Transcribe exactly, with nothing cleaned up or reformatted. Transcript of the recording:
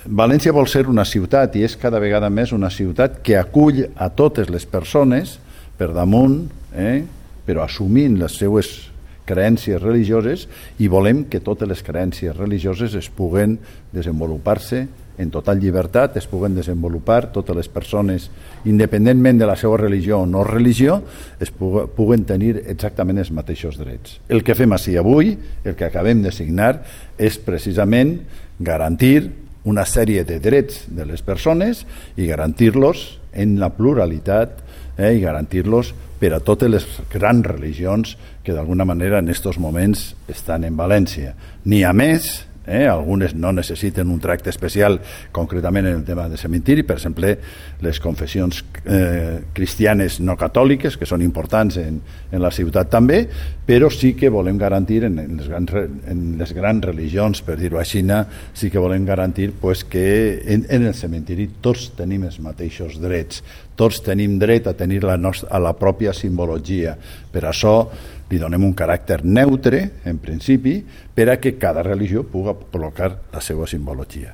València vol ser una ciutat, i és cada vegada més una ciutat que acull a totes les persones per damunt, eh, però assumint les seues creences religioses, i volem que totes les creences religioses es puguen desenvolupar-se en total llibertat, es puguen desenvolupar totes les persones, independentment de la seva religió o no religió, es puguen tenir exactament els mateixos drets. El que fem així avui, el que acabem de signar, és precisament garantir una sèrie de drets de les persones i garantir-los en la pluralitat eh, i garantir-los per a totes les grans religions que d'alguna manera en aquests moments estan en València. N'hi ha més, eh, algunes no necessiten un tracte especial, concretament en el tema de cementiri, per exemple, les confessions eh, cristianes no catòliques, que són importants en, en la ciutat també, però sí que volem garantir en, en, les, grans, en les grans religions, per dir-ho així, sí que volem garantir pues, que en, en el cementiri tots tenim els mateixos drets, tots tenim dret a tenir la nostra, a la pròpia simbologia. Per això li donem un caràcter neutre, en principi, per a que cada religió pugui col·locar la seva simbologia.